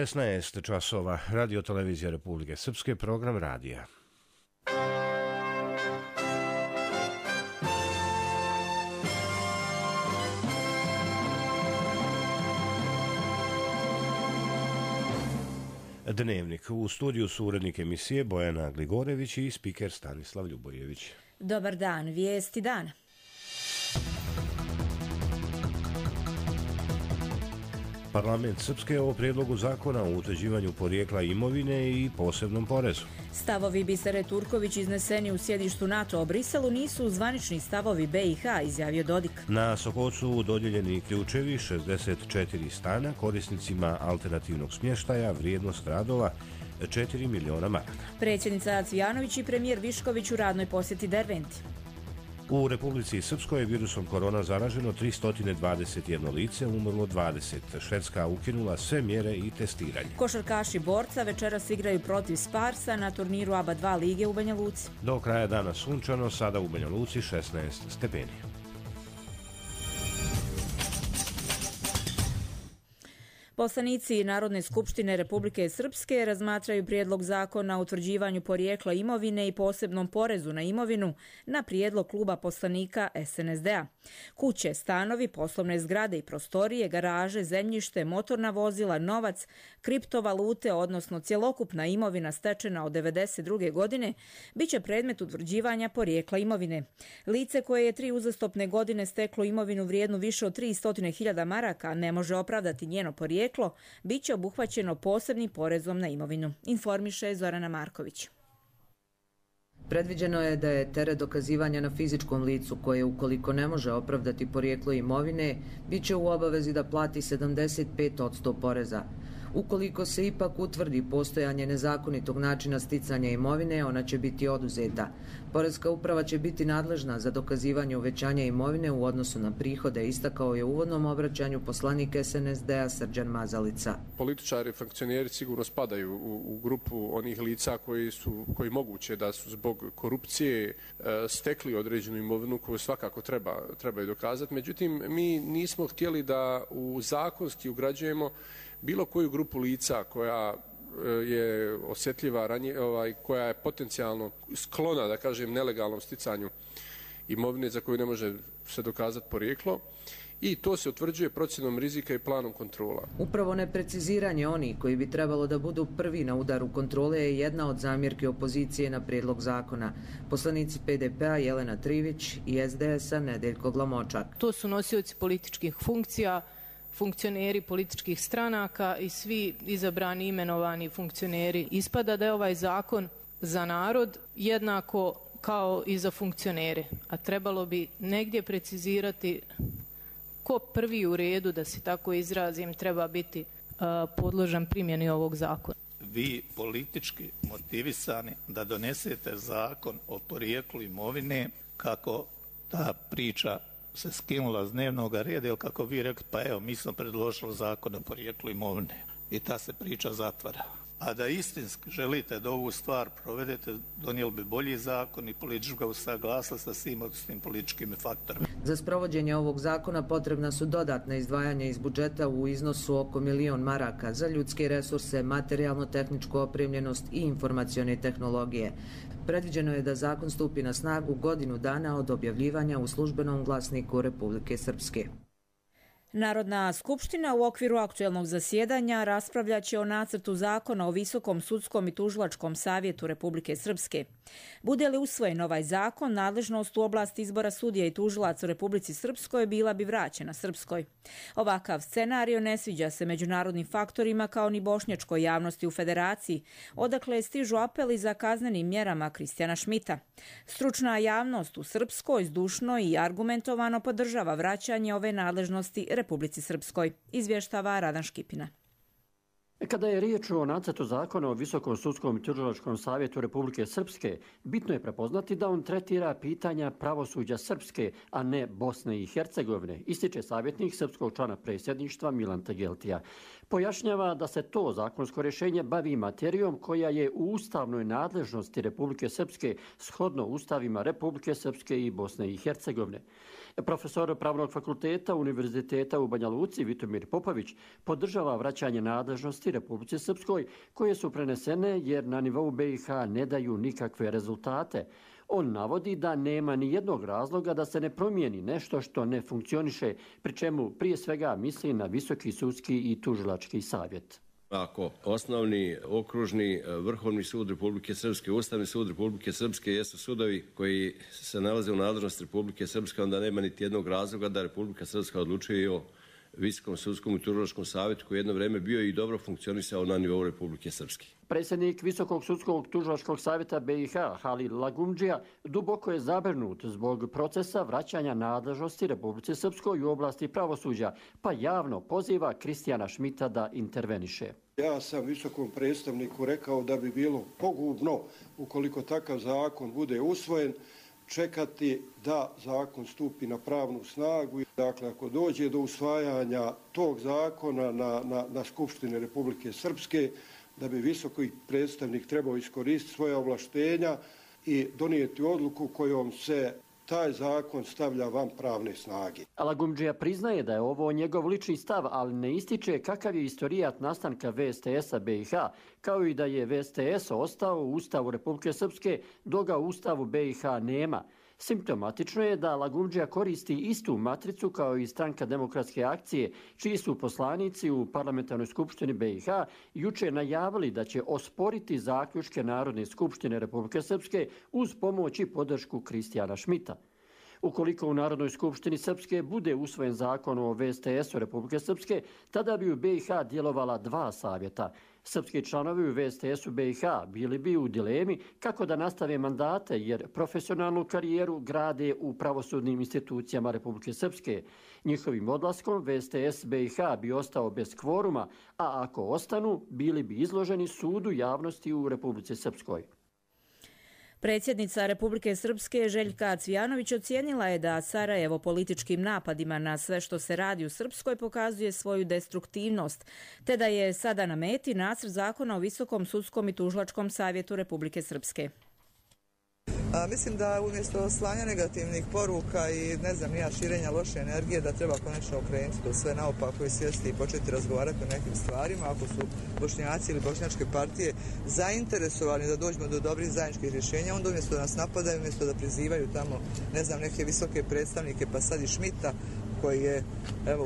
16 časova, Radio Televizija Republike Srpske, program radija. Dnevnik. U studiju su urednik emisije Bojana Gligorević i spiker Stanislav Ljubojević. Dobar dan, vijesti dana. Parlament Srpske o prijedlogu zakona o utvrđivanju porijekla imovine i posebnom porezu. Stavovi Bisere Turković izneseni u sjedištu NATO u Briselu nisu zvanični stavovi BiH, izjavio Dodik. Na Sokocu dodijeljeni ključevi 64 stana korisnicima alternativnog smještaja, vrijednost radova 4 miliona maraka. Predsjednica Cvijanović i premijer Višković u radnoj posjeti Derventi. U Republici Srpskoj je virusom korona zaraženo 321 lice, umrlo 20. Švedska ukinula sve mjere i testiranje. Košarkaši Borca večeras igraju protiv Sparsa na turniru ABA 2 lige u Banja Luci. Do kraja dana sunčano, sada u Banja Luci 16 stepeni. Poslanici Narodne skupštine Republike Srpske razmatraju prijedlog zakona o utvrđivanju porijekla imovine i posebnom porezu na imovinu na prijedlog kluba poslanika SNSD-a. Kuće, stanovi, poslovne zgrade i prostorije, garaže, zemljište, motorna vozila, novac, kriptovalute, odnosno cjelokupna imovina stečena od 1992. godine, bit će predmet utvrđivanja porijekla imovine. Lice koje je 3 uzastopne godine steklo imovinu vrijednu više od 300.000 maraka ne može opravdati njeno porijeklo, bit će obuhvaćeno posebnim porezom na imovinu, informiše Zorana Marković. Predviđeno je da je teret dokazivanja na fizičkom licu koje, ukoliko ne može opravdati porijeklo imovine, bit će u obavezi da plati 75% poreza. Ukoliko se ipak utvrdi postojanje nezakonitog načina sticanja imovine, ona će biti oduzeta. Poreska uprava će biti nadležna za dokazivanje uvećanja imovine u odnosu na prihode, istakao je u uvodnom obraćanju poslanik SNSD-a Srđan Mazalica. Političari i funkcioneri sigurno spadaju u grupu onih lica koji moguće da su zbog korupcije stekli određenu imovinu koju svakako trebaju dokazati. Međutim, mi nismo htjeli da u zakonski ugrađujemo bilo koju grupu lica koja je osjetljiva, koja je potencijalno sklona, da kažem, nelegalnom sticanju imovine za koju ne može se dokazati porijeklo, i to se utvrđuje procjenom rizika i planom kontrola. Upravo nepreciziranje onih koji bi trebalo da budu prvi na udaru kontrole je jedna od zamjerki opozicije na prijedlog zakona. Poslanici PDP-a Jelena Trivić i SDS-a Nedeljko Glamočak. To su nosioci političkih funkcija, funkcioneri političkih stranaka i svi izabrani imenovani funkcioneri. Ispada da je ovaj zakon za narod jednako kao i za funkcionere, a trebalo bi negdje precizirati ko prvi u redu, da se tako izrazim, treba biti podložan primjeni ovog zakona. Vi politički motivisani da donesete zakon o porijeklu imovine, kako ta priča se skinula s dnevnog reda, ili kako vi rekli, pa evo, mi smo predložili zakon o porijeklu imovine i ta se priča zatvara. A da istinski želite da ovu stvar provedete, donijeli bi bolji zakon i politička usaglasila sa svim odnosnim političkim faktorima. Za sprovođenje ovog zakona potrebna su dodatna izdvajanja iz budžeta u iznosu oko 1 milion maraka za ljudske resurse, materijalno-tehničku opremljenost i informacione tehnologije. Predviđeno je da zakon stupi na snagu godinu dana od objavljivanja u službenom glasniku Republike Srpske. Narodna skupština u okviru aktuelnog zasjedanja raspravljaće o nacrtu zakona o Visokom sudskom i tužilačkom savjetu Republike Srpske. Bude li usvojen ovaj zakon, nadležnost u oblasti izbora sudija i tužilaca u Republici Srpskoj bila bi vraćena Srpskoj. Ovakav scenario ne sviđa se međunarodnim faktorima kao ni bošnjačkoj javnosti u Federaciji, odakle stižu apeli za kaznenim mjerama Kristijana Šmita. Stručna javnost u Srpskoj zdušno i argumentovano podržava vraćanje ove nadležnosti Republici Srpskoj, izvještava Radan Škipina. Kada je riječ o nacrtu zakona o Visokom sudskom i tužilačkom savjetu Republike Srpske, bitno je prepoznati da on tretira pitanja pravosuđa Srpske, a ne Bosne i Hercegovine, ističe savjetnik srpskog člana predsjedništva Milan Tegeltija. Pojašnjava da se to zakonsko rješenje bavi materijom koja je u ustavnoj nadležnosti Republike Srpske shodno ustavima Republike Srpske i Bosne i Hercegovine. Profesor Pravnog fakulteta Univerziteta u Banja Luci Vitomir Popović podržava vraćanje nadležnosti nadležnosti Republici Srpskoj koje su prenesene jer na nivou BiH ne daju nikakve rezultate. On navodi da nema ni jednog razloga da se ne promijeni nešto što ne funkcioniše, pri čemu prije svega misli na Visoki sudski i tužilački savjet. Ako osnovni, okružni, Vrhovni sud Republike Srpske, Ustavni sud Republike Srpske jesu sudovi koji se nalaze u nadležnosti Republike Srpske, onda nema niti jednog razloga da Republika Srpska odlučuje o Visokom sudskom i tužilačkom savjetu koji jedno vrijeme bio i dobro funkcionisao na nivou Republike Srpske. Predsjednik Visokog sudskog tužilačkog savjeta BiH, Halil Lagumdžija, duboko je zabrinut zbog procesa vraćanja nadležnosti Republike Srpskoj u oblasti pravosuđa, pa javno poziva Kristijana Šmita da interveniše. Ja sam visokom predstavniku rekao da bi bilo pogubno, ukoliko takav zakon bude usvojen, čekati da zakon stupi na pravnu snagu. Dakle, ako dođe do usvajanja tog zakona na Skupštini Republike Srpske, da bi visoki predstavnik trebao iskoristiti svoja ovlaštenja i donijeti odluku kojom se taj zakon stavlja van pravne snage. Lagumdžija priznaje da je ovo njegov lični stav, ali ne ističe kakav je istorijat nastanka VSTS-a BiH, kao i da je VSTS ostao u Ustavu Republike Srpske, dok ga u Ustavu BiH nema. Simptomatično je da Lagumdžija koristi istu matricu kao i Stranka demokratske akcije, čiji su poslanici u Parlamentarnoj skupštini BiH juče najavili da će osporiti zaključke Narodne skupštine Republike Srpske uz pomoć i podršku Kristijana Šmita. Ukoliko u Narodnoj skupštini Srpske bude usvojen zakon o VSTS-u Republike Srpske, tada bi u BiH djelovala dva savjeta. Srpski članovi u VSTS-u BiH bili bi u dilemi kako da nastave mandate jer profesionalnu karijeru grade u pravosudnim institucijama Republike Srpske. Njihovim odlaskom VSTS BiH bi ostao bez kvoruma, a ako ostanu, bili bi izloženi sudu javnosti u Republici Srpskoj. Predsjednica Republike Srpske Željka Cvijanović ocijenila je da Sarajevo političkim napadima na sve što se radi u Srpskoj pokazuje svoju destruktivnost, te da je sada na meti nacrt zakona o Visokom sudskom i tužilačkom savjetu Republike Srpske. Mislim da umjesto slanja negativnih poruka i širenja loše energije da treba konačno okrenuti to sve naopako i sjesti i početi razgovarati o nekim stvarima. Ako su Bošnjaci ili bošnjačke partije zainteresovani da dođemo do dobrih zajedničkih rješenja, onda umjesto da nas napadaju, umjesto da prizivaju tamo neke visoke predstavnike, pa sad i Šmita koji je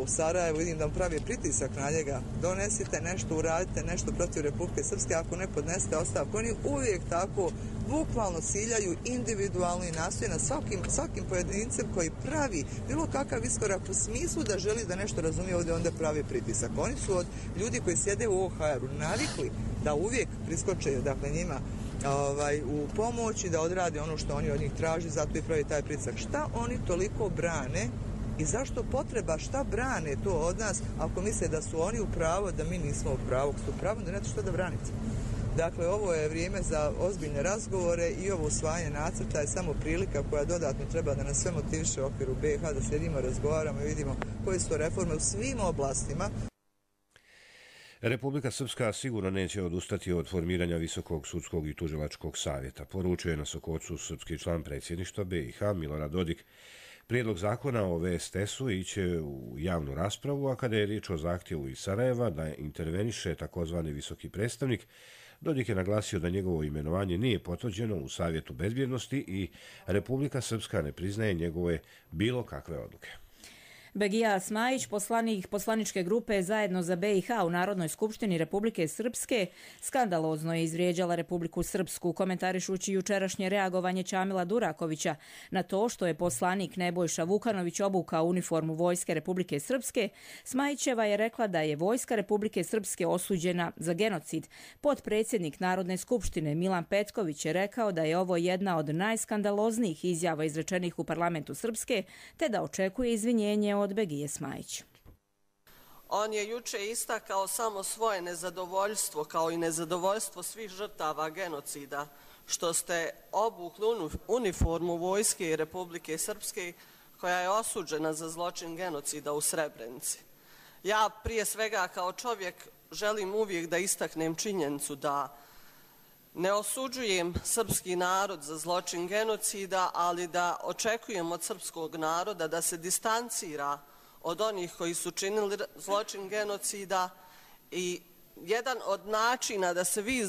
u Sarajevu, vidim da mu pravi pritisak na njega, donesite nešto, uradite nešto protiv Republike Srpske, ako ne podnesete ostavku. Oni uvijek tako bukvalno ciljaju individualno i nastoje na svakim pojedincem koji pravi bilo kakav iskorak u smislu da želi da nešto razumije ovdje, onda pravi pritisak. Oni su od ljudi koji sjede u OHR-u navikli da uvijek priskoče njima u pomoć i da odrade ono što oni od njih traži, zato i pravi taj pritisak. Šta oni toliko brane i zašto potreba, šta brane to od nas ako misle da su oni u pravu, da mi nismo u pravu? Ako su u pravu, da nemate što da branite. Dakle, ovo je vrijeme za ozbiljne razgovore i ovo usvajanje nacrta je samo prilika koja dodatno treba da nas sve motiviše u okviru BiH, da sjedimo, razgovaramo i vidimo koje su reforme u svim oblastima. Republika Srpska sigurno neće odustati od formiranja Visokog sudskog i tužilačkog savjeta, poručuje na Sokocu srpski član predsjedništva BiH Milorad Dodik. Prijedlog zakona o VSTS-u iće u javnu raspravu, a kada je riječ o zahtjevu iz Sarajeva da interveniše takozvani visoki predstavnik, Dodik je naglasio da njegovo imenovanje nije potvrđeno u Savjetu bezbjednosti i Republika Srpska ne priznaje njegove bilo kakve odluke. Begija Smajić, poslanik poslaničke grupe Zajedno za BiH u Narodnoj skupštini Republike Srpske, skandalozno je izvrijeđala Republiku Srpsku, komentarišući jučerašnje reagovanje Čamila Durakovića na to što je poslanik Nebojša Vukanović obukao uniformu Vojske Republike Srpske. Smajićeva je rekla da je Vojska Republike Srpske osuđena za genocid. Potpredsjednik Narodne skupštine Milan Petković je rekao da je ovo jedna od najskandaloznijih izjava izrečenih u parlamentu Srpske, te da očekuje izvinjenje od Begije Smajić. On je juče istakao samo svoje nezadovoljstvo, kao i nezadovoljstvo svih žrtava genocida, što ste obukli uniformu Vojske Republike Srpske koja je osuđena za zločin genocida u Srebrenici. Ja prije svega kao čovjek želim uvijek da istaknem činjenicu da ne osuđujem srpski narod za zločin genocida, ali da očekujem od srpskog naroda da se distancira od onih koji su činili zločin genocida i jedan od načina da se vi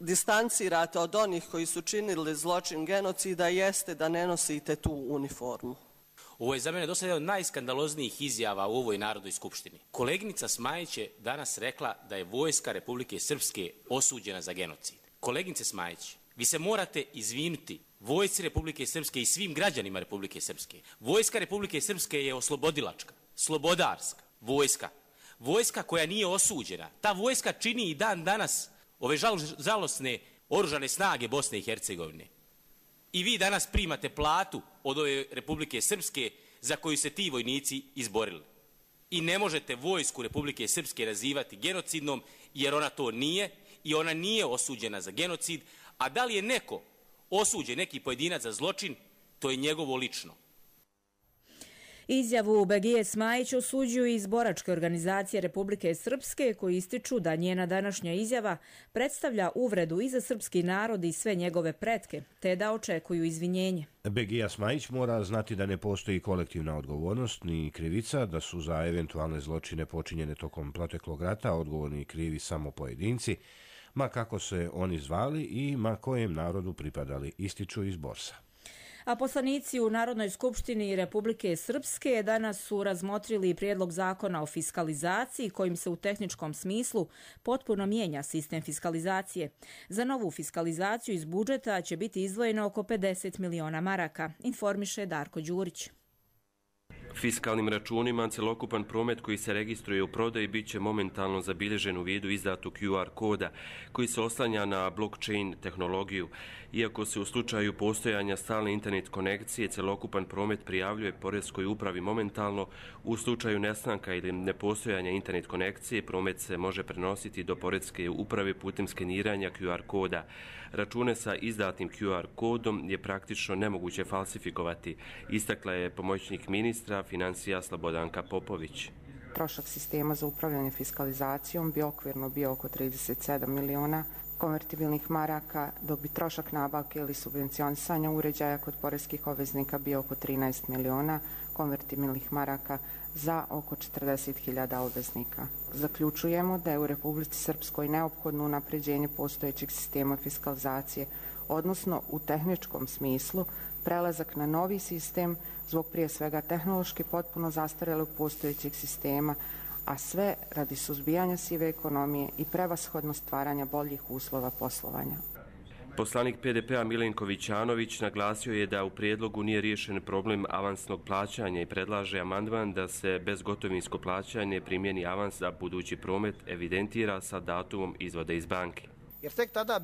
distancirate od onih koji su činili zločin genocida jeste da ne nosite tu uniformu. Ovo je za mene dosta jedan od najskandaloznijih izjava u ovoj Narodnoj skupštini. Koleginica Smajić je danas rekla da je vojska Republike Srpske osuđena za genocid. Koleginice Smajić, vi se morate izvinuti vojsci Republike Srpske i svim građanima Republike Srpske. Vojska Republike Srpske je oslobodilačka, slobodarska vojska. Vojska koja nije osuđena. Ta vojska čini i dan danas ove žalosne oružane snage Bosne i Hercegovine. I vi danas primate platu od ove Republike Srpske za koju se ti vojnici izborili. I ne možete vojsku Republike Srpske nazivati genocidnom jer ona to nije i ona nije osuđena za genocid, a da li je neko osuđen, neki pojedinac za zločin, to je njegovo lično. Izjavu Begije Smajić osuđuju iz boračke organizacije Republike Srpske, koji ističu da njena današnja izjava predstavlja uvredu i za srpski narod i sve njegove pretke, te da očekuju izvinjenje. Begija Smajić mora znati da ne postoji kolektivna odgovornost ni krivica, da su za eventualne zločine počinjene tokom proteklog rata odgovorni i krivi samo pojedinci, ma kako se oni zvali i ma kojem narodu pripadali, ističu iz Borsa. A poslanici u Narodnoj skupštini Republike Srpske danas su razmotrili prijedlog zakona o fiskalizaciji kojim se u tehničkom smislu potpuno mijenja sistem fiskalizacije. Za novu fiskalizaciju iz budžeta će biti izdvojeno oko 50 miliona maraka, informiše Darko Đurić. Fiskalnim računima celokupan promet koji se registruje u prodaji bit će momentalno zabilježen u vidu izdatog QR koda koji se oslanja na blockchain tehnologiju. Iako se u slučaju postojanja stalne internet konekcije celokupan promet prijavljuje poreskoj upravi momentalno, u slučaju nestanka ili nepostojanja internet konekcije promet se može prenositi do poreske uprave putem skeniranja QR koda. Račune sa izdatim QR kodom je praktično nemoguće falsifikovati, istakla je pomoćnik ministra financija Slobodanka Popović. Trošak sistema za upravljanje fiskalizacijom bi okvirno bio oko 37 miliona konvertibilnih maraka, dok bi trošak nabavke ili subvencionisanja uređaja kod poreskih obveznika bio oko 13 miliona konvertibilnih maraka za oko 40.000 obveznika. Zaključujemo da je u Republici Srpskoj neophodno unapređenje postojećeg sistema fiskalizacije, odnosno u tehničkom smislu prelazak na novi sistem zbog prije svega tehnološki potpuno zastarelog postojećeg sistema, a sve radi suzbijanja sive ekonomije i prevashodno stvaranja boljih uslova poslovanja. Poslanik PDP-a Milenko Vićanović naglasio je da u prijedlogu nije riješen problem avansnog plaćanja i predlaže amandman da se bezgotovinsko plaćanje primjeni avans za budući promet evidentira sa datumom izvoda iz banke. Jer tek tada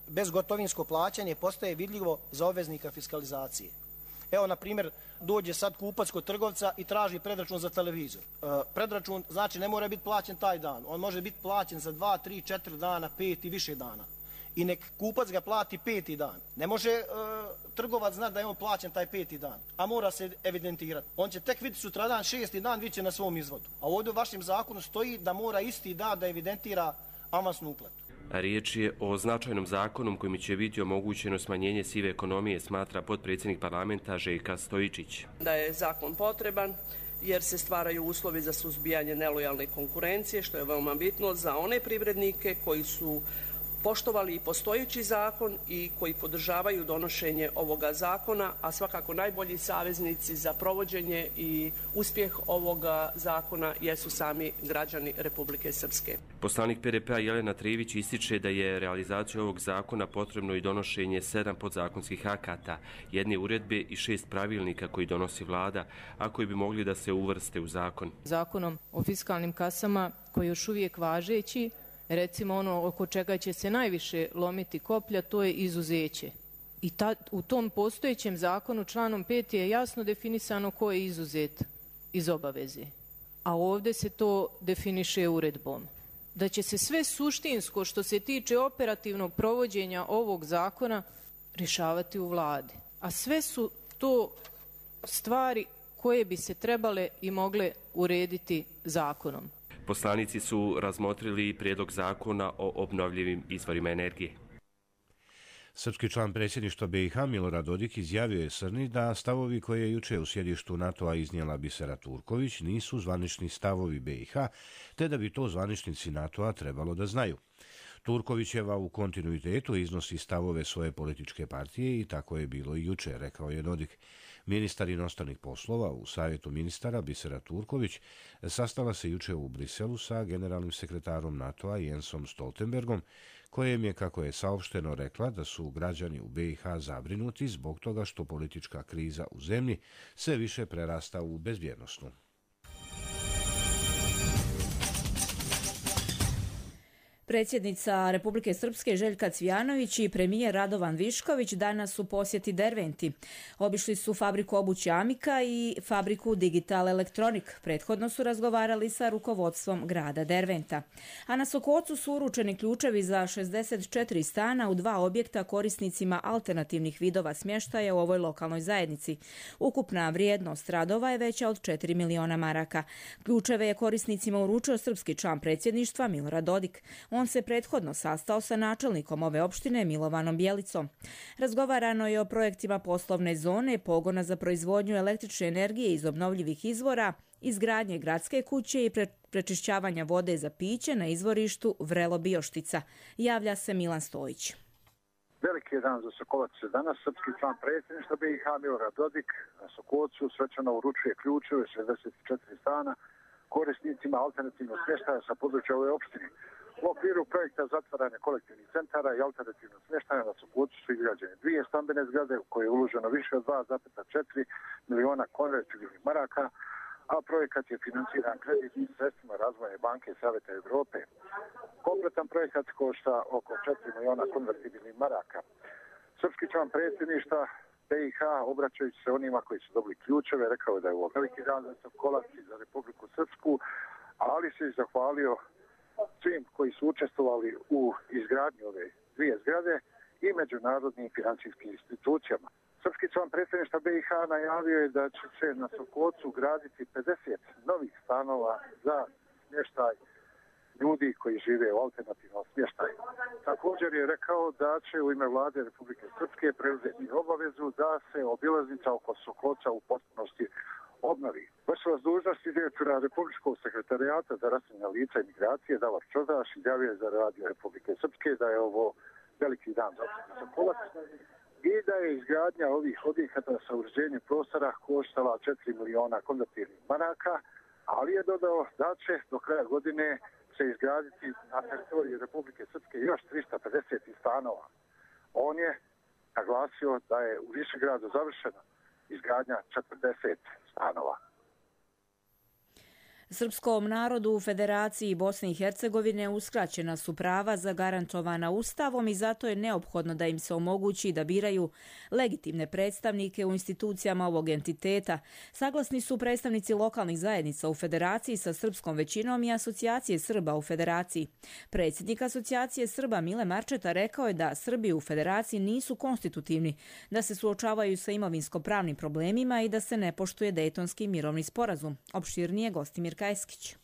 bezgotovinsko plaćanje postaje vidljivo za obveznika fiskalizacije. Evo, na primjer, dođe sad kupac kod trgovca i traži predračun za televizor. Predračun znači ne mora biti plaćen taj dan. On može biti plaćen za 2, 3, 4 dana, 5 i više dana. I nek kupac ga plati 5. dan. Ne može trgovac znati da je on plaćen taj 5. dan, a mora se evidentirati. On će tek vidjeti sutradan 6. dan, vidjet će na svom izvodu. A ovdje u vašem zakonu stoji da mora isti dan da evidentira avansnu uplatu. Riječ je o značajnom zakonu kojim će biti omogućeno smanjenje sive ekonomije, smatra potpredsjednik parlamenta Željka Stojičić. Da je zakon potreban jer se stvaraju uslovi za suzbijanje nelojalne konkurencije, što je veoma bitno za one privrednike koji su poštovali i postojeći zakon i koji podržavaju donošenje ovoga zakona, a svakako najbolji saveznici za provođenje i uspjeh ovoga zakona jesu sami građani Republike Srpske. Poslanik PDP-a Jelena Trivić ističe da je realizaciju ovog zakona potrebno i donošenje 7 podzakonskih akata, 1 uredbe i 6 pravilnika koji donosi vlada, a koji bi mogli da se uvrste u zakon. Zakonom o fiskalnim kasama koji je još uvijek važeći, recimo ono oko čega će se najviše lomiti koplja, to je izuzeće. I u tom postojećem zakonu članom 5 je jasno definisano ko je izuzet iz obaveze. A ovdje se to definiše uredbom. Da će se sve suštinsko što se tiče operativnog provođenja ovog zakona rješavati u vladi. A sve su to stvari koje bi se trebale i mogle urediti zakonom. Poslanici su razmotrili prijedlog zakona o obnovljivim izvorima energije. Srpski član predsjedništva BiH Milorad Dodik izjavio je Srni da stavovi koje je juče u sjedištu NATO-a iznijela Bisera Turković nisu zvanični stavovi BiH, te da bi to zvaničnici NATO-a trebalo da znaju. Turkovićeva u kontinuitetu iznosi stavove svoje političke partije i tako je bilo i juče, rekao je Dodik. Ministar inostranih poslova u Savjetu ministara Bisera Turković sastala se juče u Briselu sa generalnim sekretarom NATO-a Jensom Stoltenbergom, kojem je, kako je saopšteno, rekla da su građani u BiH zabrinuti zbog toga što politička kriza u zemlji sve više prerasta u bezbjednosnu. Predsjednica Republike Srpske Željka Cvijanović i premijer Radovan Višković danas u posjeti Derventi. Obišli su fabriku obuće Amika i fabriku Digital Electronic. Prethodno su razgovarali sa rukovodstvom grada Derventa. A na Sokocu su uručeni ključevi za 64 stana u 2 objekta korisnicima alternativnih vidova smještaja u ovoj lokalnoj zajednici. Ukupna vrijednost radova je veća od 4 miliona maraka. Ključeve je korisnicima uručio srpski član predsjedništva Milorad Dodik. On se prethodno sastao sa načelnikom ove opštine Milovanom Bjelicom. Razgovarano je o projektima poslovne zone, pogona za proizvodnju električne energije iz obnovljivih izvora, izgradnje gradske kuće i prečišćavanja vode za piće na izvorištu Vrelo Bioštica. Javlja se Milan Stojić. Veliki je dan za Sokolac danas. Srpski član predsjedništva BiH Milorad Dodik na Sokolcu svečano uručuje ključeve 64 stana korisnicima alternativnog smještaja sa područja ove opštine. U okviru projekta zatvaranja kolektivnih centara i alternativnog smještaja na Sokolcu su izgrađene 2 stambene zgrade u koje je uloženo više od 2,4 miliona konvertibilnih maraka, a projekat je financiran kreditnim sredstvima Razvojne banke Savjeta Evrope. Kompletan projekat košta oko 4 miliona konvertibilnih maraka. Srpski član predsjedništva BiH, obraćajući se onima koji su dobili ključeve, rekao je da je ovo veliki dan za Sokolac i za Republiku Srpsku, ali se i zahvalio svim koji su učestvovali u izgradnji ove 2 zgrade i međunarodnim financijskim institucijama. Srpski član predsjedništva BiH najavio je da će se na Sokolcu graditi 50 novih stanova za smještaj ljudi koji žive u alternativnom smještaju. Također je rekao da će u ime vlade Republike Srpske preuzeti obavezu da se obilaznica oko Sokolca u potpunosti obnovi. Vršilac dužnosti direktora Republičkog sekretarijata za raseljena lica i migracije Davor Čodaš izjavio je za Radio Republike Srpske da je ovo veliki dan za Sokolac i da je izgradnja ovih objekata sa uređenjem prostora koštala 4 miliona konvertibilnih maraka, ali je dodao da će do kraja godine se izgraditi na teritoriji Republike Srpske još 350 stanova. On je naglasio da je u Višegradu završena izgradnja 40 stanova. Srpskom narodu u Federaciji Bosne i Hercegovine uskraćena su prava zagarantovana Ustavom i zato je neophodno da im se omogući da biraju legitimne predstavnike u institucijama ovog entiteta. Saglasni su predstavnici lokalnih zajednica u Federaciji sa srpskom većinom i Asocijacije Srba u Federaciji. Predsjednik Asocijacije Srba Mile Marčeta rekao je da Srbi u Federaciji nisu konstitutivni, da se suočavaju sa imovinsko-pravnim problemima i da se ne poštuje Dejtonski mirovni sporazum. Opširnije Gostimir Kajskić.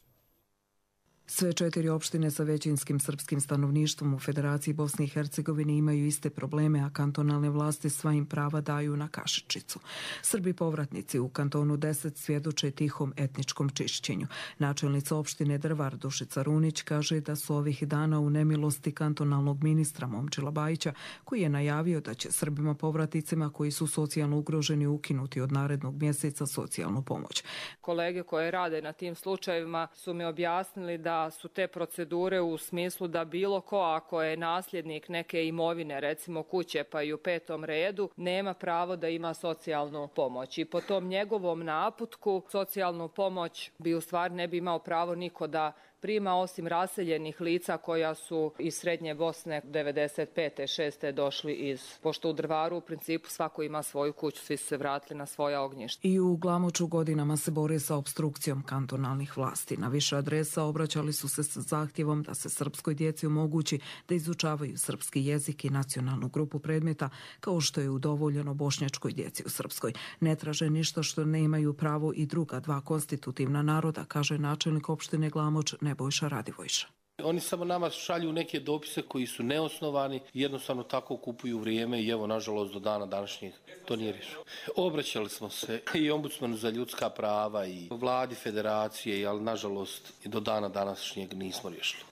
Sve 4 opštine sa većinskim srpskim stanovništvom u Federaciji Bosne i Hercegovine imaju iste probleme, a kantonalne vlasti sva im prava daju na kašičicu. Srbi povratnici u kantonu 10 svjedoče tihom etničkom čišćenju. Načelnica opštine Drvar Dušica Runić kaže da su ovih dana u nemilosti kantonalnog ministra Momčila Bajića, koji je najavio da će Srbima povratnicima koji su socijalno ugroženi ukinuti od narednog mjeseca socijalnu pomoć. Kolege koje rade na tim slučajevima su mi objasnili da su te procedure u smislu da bilo ko, ako je nasljednik neke imovine, recimo kuće pa i u 5. redu, nema pravo da ima socijalnu pomoć. I po tom njegovom naputku socijalnu pomoć bi u stvari ne bi imao pravo niko da prima, osim raseljenih lica koja su iz Srednje Bosne 95. 6. došli pošto u Drvaru u principu svako ima svoju kuću, svi su se vratili na svoja ognjišta. I u Glamoču godinama se bore sa opstrukcijom kantonalnih vlasti. Na više adresa obraćali su se sa zahtjevom da se srpskoj djeci omogući da izučavaju srpski jezik i nacionalnu grupu predmeta, kao što je udovoljeno bošnjačkoj djeci u Srpskoj. Ne traže ništa što ne imaju pravo i druga 2 konstitutivna naroda, kaže načelnik opštine Glamoč Nebojša Radivojša. Oni samo nama šalju neke dopise koji su neosnovani, jednostavno tako kupuju vrijeme i evo, nažalost, do dana današnjeg to nije riješeno. Obraćali smo se i ombudsmanu za ljudska prava i vladi federacije, ali nažalost i do dana današnjeg nismo riješili.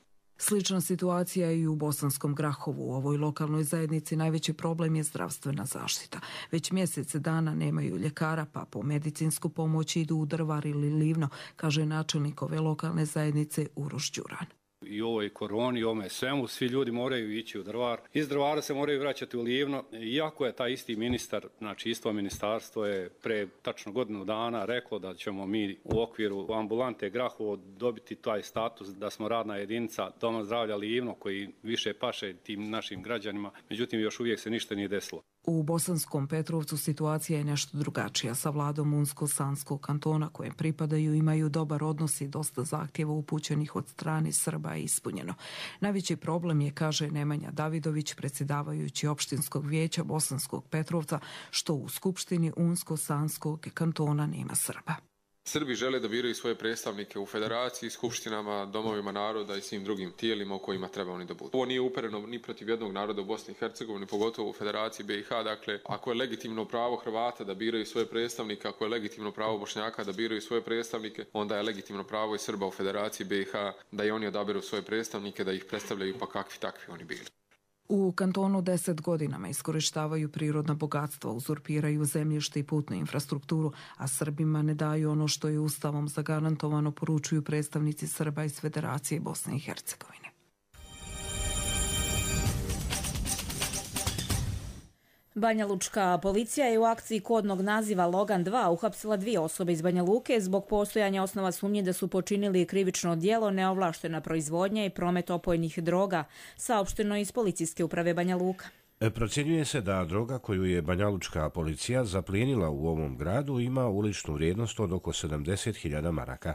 Slična situacija je i u Bosanskom Grahovu. U ovoj lokalnoj zajednici najveći problem je zdravstvena zaštita. Već mjesec dana nemaju ljekara, pa po medicinsku pomoć idu u Drvar ili Livno, kaže načelnik ove lokalne zajednice Uroš Đuran. I ovoj koroni, ovome svemu, svi ljudi moraju ići u Drvar. Iz Drvara se moraju vraćati u Livno. Iako je taj isti ministar, znači isto ministarstvo je pre tačno godinu dana reklo da ćemo mi u okviru ambulante Grahovo dobiti taj status da smo radna jedinica Doma zdravlja Livno koji više paše tim našim građanima. Međutim, još uvijek se ništa nije desilo. U Bosanskom Petrovcu situacija je nešto drugačija. Sa vladom Unsko-Sanskog kantona kojem pripadaju imaju dobar odnos i dosta zahtjeva upućenih od strane Srba je ispunjeno. Najveći problem je, kaže Nemanja Davidović, predsjedavajući opštinskog vijeća Bosanskog Petrovca, što u Skupštini Unsko-Sanskog kantona nema Srba. Srbi žele da biraju svoje predstavnike u federaciji, skupštinama, domovima naroda i svim drugim tijelima u kojima treba oni da budu. Ovo nije upereno ni protiv jednog naroda u Bosni i Hercegovini, pogotovo u Federaciji BiH. Dakle, ako je legitimno pravo Hrvata da biraju svoje predstavnike, ako je legitimno pravo Bošnjaka da biraju svoje predstavnike, onda je legitimno pravo i Srba u Federaciji BiH da i oni odaberu svoje predstavnike, da ih predstavljaju pa kakvi takvi oni bili. U kantonu 10 godinama iskorištavaju prirodna bogatstva, uzurpiraju zemljište i putnu infrastrukturu, a Srbima ne daju ono što je Ustavom zagarantovano, poručuju predstavnici Srba iz Federacije Bosne i Hercegovine. Banjalučka policija je u akciji kodnog naziva Logan 2 uhapsila 2 osobe iz Banja Luke zbog postojanja osnova sumnje da su počinili krivično djelo neovlaštena proizvodnja i promet opojnih droga, saopšteno iz Policijske uprave Banja Luka. Procjenjuje se da droga koju je banjalučka policija zaplijenila u ovom gradu ima uličnu vrijednost od oko 70.000 maraka.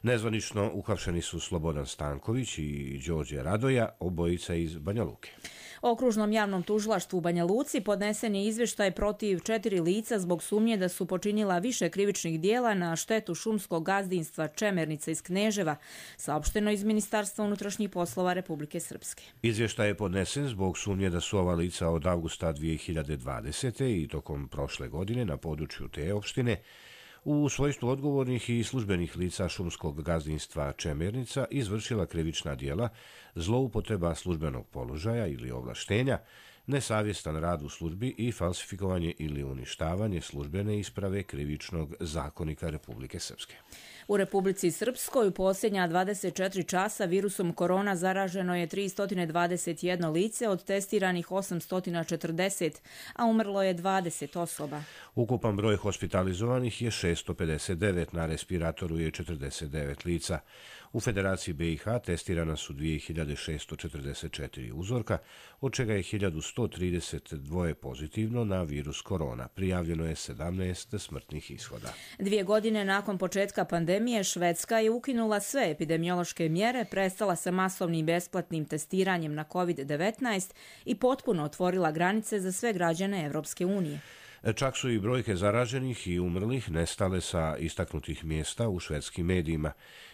Nezvanično uhapšeni su Slobodan Stanković i Đorđe Radoja, obojica iz Banja Luke. Okružnom javnom tužilaštvu u Banja Luci podnesen je izvještaj protiv 4 lica zbog sumnje da su počinila više krivičnih dijela na štetu šumskog gazdinstva Čemernica iz Kneževa, saopšteno iz Ministarstva unutrašnjih poslova Republike Srpske. Izvještaj je podnesen zbog sumnje da su ova lica od avgusta 2020. i tokom prošle godine na području te opštine u svojstvu odgovornih i službenih lica šumskog gazdinstva Čemernica izvršila krivična djela, zloupotreba službenog položaja ili ovlaštenja, nesavjestan rad u službi i falsifikovanje ili uništavanje službene isprave Krivičnog zakonika Republike Srpske. U Republici Srpskoj u posljednja 24 časa virusom korona zaraženo je 321 lice od testiranih 840, a umrlo je 20 osoba. Ukupan broj hospitalizovanih je 659, na respiratoru je 49 lica. U Federaciji BiH testirana su 2644 uzorka, od čega je 1132 pozitivno na virus korona. Prijavljeno je 17 smrtnih ishoda. 2 godine nakon početka pandemije, Švedska je ukinula sve epidemiološke mjere, prestala sa masovnim besplatnim testiranjem na COVID-19 i potpuno otvorila granice za sve građane Evropske unije. Čak su i brojke zaraženih i umrlih nestale sa istaknutih mjesta u švedskim medijima.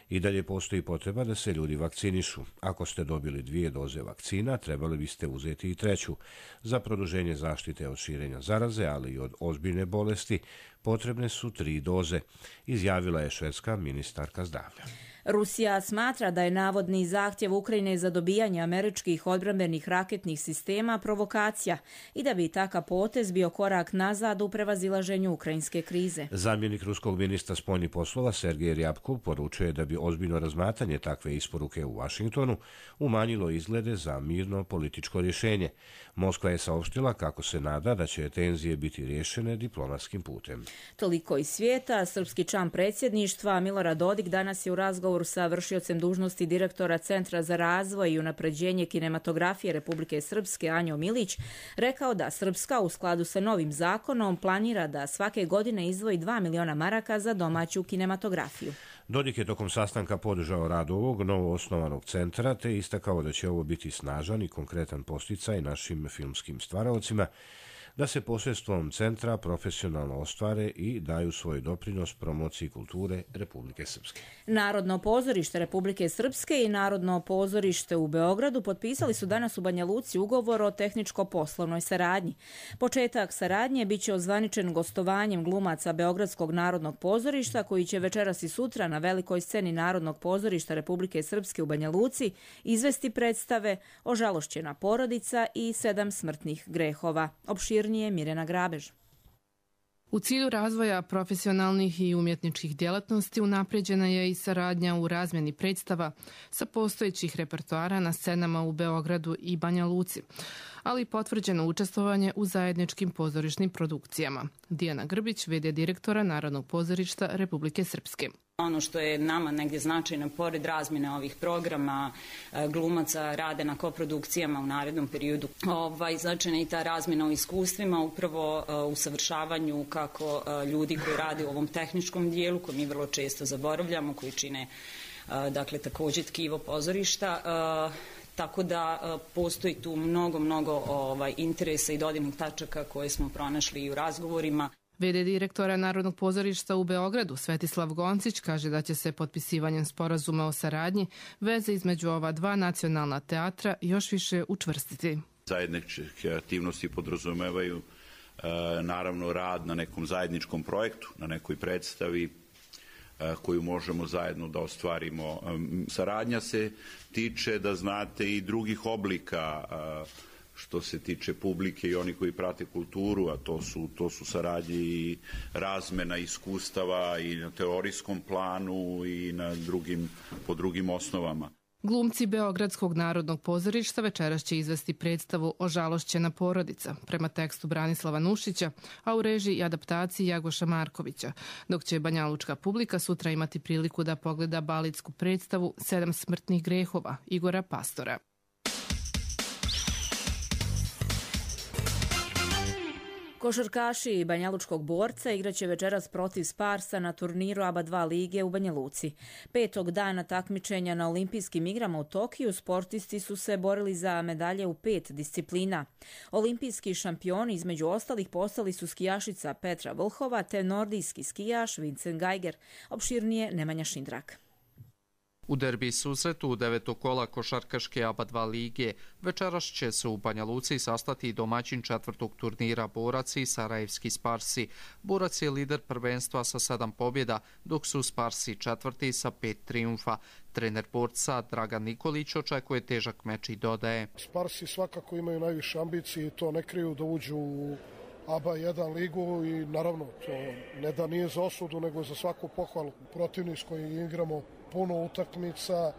I dalje postoji potreba da se ljudi vakcinišu. Ako ste dobili 2 doze vakcina, trebali biste uzeti i 3. Za produženje zaštite od širenja zaraze, ali i od ozbiljne bolesti, potrebne su 3 doze, izjavila je švedska ministarka zdravlja. Rusija smatra da je navodni zahtjev Ukrajine za dobijanje američkih odbrambenih raketnih sistema provokacija i da bi takav potez bio korak nazad u prevazilaženju ukrajinske krize. Zamjenik ruskog ministra spoljnih poslova Sergej Ryabkov poručuje da bi ozbiljno razmatranje takve isporuke u Vašingtonu umanjilo izglede za mirno političko rješenje. Moskva je saopštila kako se nada da će tenzije biti riješene diplomatskim putem. Toliko iz svijeta. Srpski član predsjedništva Milorad Dodik danas je u razgovoru sa vršiocem dužnosti direktora Centra za razvoj i unapređenje kinematografije Republike Srpske Anjo Milić rekao da Srpska u skladu sa novim zakonom planira da svake godine izdvoji 2 miliona maraka za domaću kinematografiju. Dodik je tokom sastanka podržao rad ovog novo osnovanog centra te istakao da će ovo biti snažan i konkretan posticaj našim filmskim stvaraocima da se posredstvom centra profesionalno ostvare i daju svoj doprinos promociji kulture Republike Srpske. Narodno pozorište Republike Srpske i Narodno pozorište u Beogradu potpisali su danas u Banja Luci ugovor o tehničko-poslovnoj saradnji. Početak saradnje biće ozvaničen gostovanjem glumaca Beogradskog narodnog pozorišta koji će večeras i sutra na velikoj sceni Narodnog pozorišta Republike Srpske u Banja Luci izvesti predstave Ožalošćena porodica i 7 smrtnih grehova. Opširnije Mirjana Grabež. U cilju razvoja profesionalnih i umjetničkih djelatnosti unapređena je i saradnja u razmjeni predstava sa postojećih repertoara na scenama u Beogradu i Banja Luci, ali i potvrđeno učestvovanje u zajedničkim pozorišnim produkcijama. Dijana Grbić, v.d. direktora Narodnog pozorišta Republike Srpske. Ono što je nama negdje značajno, pored razmjene ovih programa, glumaca rade na koprodukcijama u narednom periodu. Značajna je i ta razmjena u iskustvima, upravo u savršavanju kako ljudi koji rade u ovom tehničkom dijelu, koji mi vrlo često zaboravljamo, koji čine također tkivo pozorišta. Tako da postoji tu mnogo interesa i dodirnih tačaka koje smo pronašli i u razgovorima. V.d. direktora Narodnog pozorišta u Beogradu Svetislav Goncić kaže da će se potpisivanjem sporazuma o saradnji veze između ova dva nacionalna teatra još više učvrstiti. Zajedničke aktivnosti podrazumevaju naravno rad na nekom zajedničkom projektu, na nekoj predstavi koju možemo zajedno da ostvarimo. Saradnja se tiče, da znate, i drugih oblika što se tiče publike i oni koji prate kulturu, a to su saradnje i razmena iskustava i na teorijskom planu i po drugim osnovama. Glumci Beogradskog narodnog pozorišta večeras će izvesti predstavu Ožalošćena porodica prema tekstu Branislava Nušića, a u režiji i adaptaciji Jagoša Markovića, dok će banjalučka publika sutra imati priliku da pogleda baletsku predstavu 7 smrtnih grehova Igora Pastora. Košarkaši Banjalučkog Borca igraće večeras protiv Sparsa na turniru ABA 2 lige u Banja Luci. 5. dana takmičenja na olimpijskim igrama u Tokiju sportisti su se borili za medalje u 5 disciplina. Olimpijski šampioni između ostalih postali su skijašica Petra Vlhova te nordijski skijaš Vincent Geiger. Opširnije Nemanja Šindrak. U derbi susretu u 9. kola košarkaške ABA 2 lige večeras će se u Banja Luci sastati domaćin 4. turnira Borac i Sarajevski Sparsi. Borac je lider prvenstva sa 7 pobjeda, dok su Sparsi 4. sa 5 trijumfa. Trener Borca Dragan Nikolić očekuje težak meč i dodaje: Sparsi svakako imaju najviše ambicije i to ne kriju da uđu u ABA 1 ligu i naravno to ne da nije za osudu nego za svaku pohvalu. Protivnik s kojim igramo puno utakmica,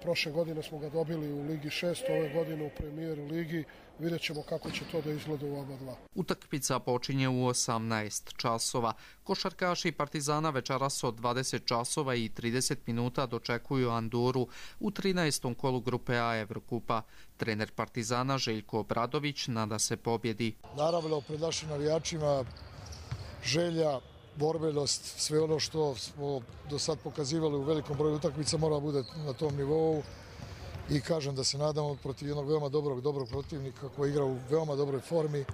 prošle godine smo ga dobili u Ligi 6, ove godine u Premier ligi, vidjet ćemo kako će to da izgleda u ABA 2. Utakmica počinje u 18 časova. Košarkaši Partizana večeras od 20 časova i 30 minuta dočekuju Andoru u 13. kolu grupe A Evrokupa. Trener Partizana Željko Obradović nada se pobjedi. Naravno, pred našim navijačima želja, borbenost, sve ono što smo do sad pokazivali u velikom broju utakmica mora bude na tom nivou i kažem da se nadamo protiv jednog veoma dobrog protivnika koji igra u veoma dobroj formi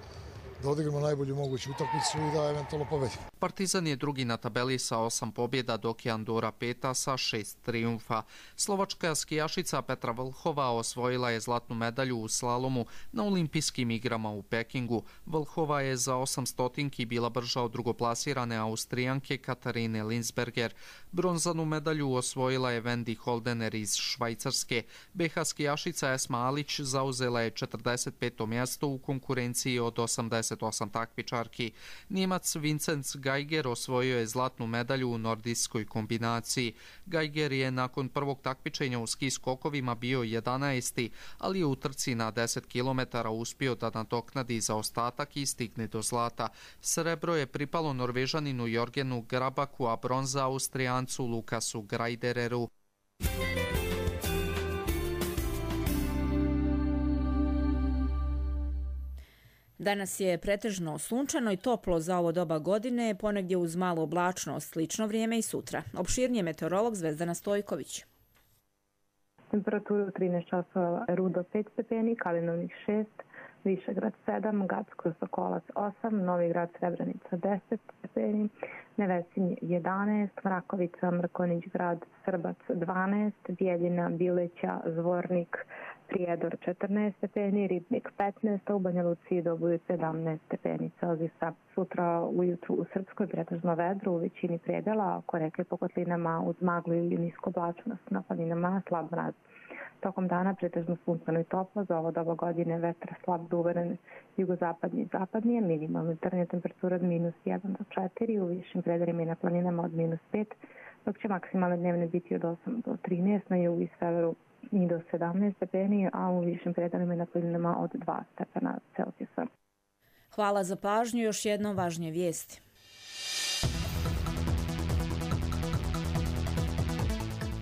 da odigramo najbolju moguću utakmicu i da eventualno pobedimo. Partizan je drugi na tabeli sa 8 pobjeda, dok je Andora 5. sa 6 trijumfa. Slovačka skijašica Petra Vlhova osvojila je zlatnu medalju u slalomu na olimpijskim igrama u Pekingu. Vlhova je za 800 bila brža od drugoplasirane Austrijanke Katarine Linsberger. Bronzanu medalju osvojila je Wendy Holdener iz Švajcarske. BH skijašica Esma Alić zauzela je 45. mjesto u konkurenciji od 88 takmičarki. Njemac Vincent Geiger osvojio je zlatnu medalju u nordijskoj kombinaciji. Geiger je nakon prvog takmičenja u ski skokovima bio 11. ali je u trci na 10 km uspio da nadoknadi zaostatak i stigne do zlata. Srebro je pripalo Norvežaninu Jorgenu Grabaku, a bronza Austrijancu Lukasu Grajdereru. Danas je pretežno sunčano i toplo za ovo doba godine, ponegdje uz malu oblačnost, slično vrijeme i sutra. Opširnije meteorolog Zvezdana Stojković. Temperaturu 13 časova, Rudo 5 stepeni, Kalinovnik 6, Višegrad 7, Gacko Sokolac 8, Novi Grad Srebrenica 10 stepeni, Nevesinje 11, Mrakovica, Mrkonić Grad, Srbac 12, Bijeljina, Bileća, Zvornik, Prijedor 14 stepeni, Ribnik 15, a u Banja Luci i Doboju 17 stepeni Celzijusa. Sutra ujutru u Srpskoj pretežno vedro u većini predela, oko reke po kotlinama uz maglu ili nisko oblačenost, na planinama slab mraz. Tokom dana pretežno sunčano i toplo, za ovo doba godine vetar slab do uveren jugozapadni i zapadnije, minimalna jutarnja temperatura od -1 do 4, u višim predelima i na planinama od -5, dok će maksimalne dnevne biti od 8 do 13, na jugu i severu i do 17 stepeni, a u višim predelima i na planinama od 2 stepena Celzijusa. Hvala za pažnju, još jednom važnije vijesti.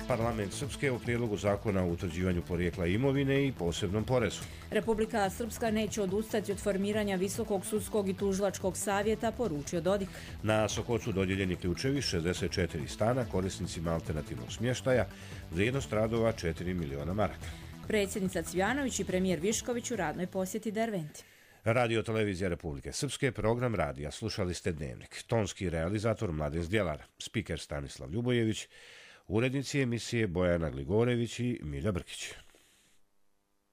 Parlament Srpske u prijedlogu zakona o utvrđivanju porijekla imovine i posebnom porezu. Republika Srpska neće odustati od formiranja Visokog sudskog i tužilačkog savjeta, poručio Dodik. Na Sokocu dodijeljeni ključevi 64 stana korisnicima alternativnog smještaja, vrijednost radova 4 miliona maraka. Predsjednica Cvjanović i premijer Višković u radnoj posjeti Derventi. Radio Televizija Republike Srpske, program radija Slušali ste Dnevnik. Tonski realizator Mladen Zdjelar, spiker Stanislav Ljubojević, urednici emisije Bojana Gligorević i Milja Brkić.